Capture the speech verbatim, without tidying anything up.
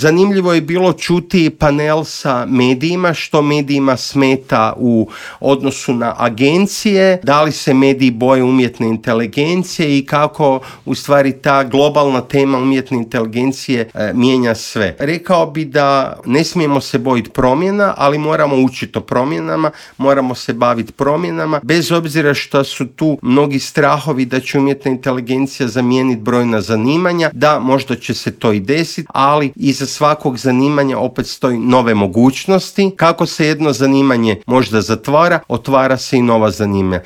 Zanimljivo je bilo čuti panel sa medijima, što medijima smeta u odnosu na agencije, da li se mediji boje umjetne inteligencije i kako u stvari ta globalna tema umjetne inteligencije e, mijenja sve. Rekao bi da ne smijemo se bojiti promjena, ali moramo učiti o promjenama, moramo se baviti promjenama, bez obzira što su tu mnogi strahovi da će umjetna inteligencija zamijeniti brojna zanimanja, da možda će se to i desiti, ali iza svakog zanimanja opet stoji nove mogućnosti. Kako se jedno zanimanje možda zatvara, otvara se i nova zanimanja.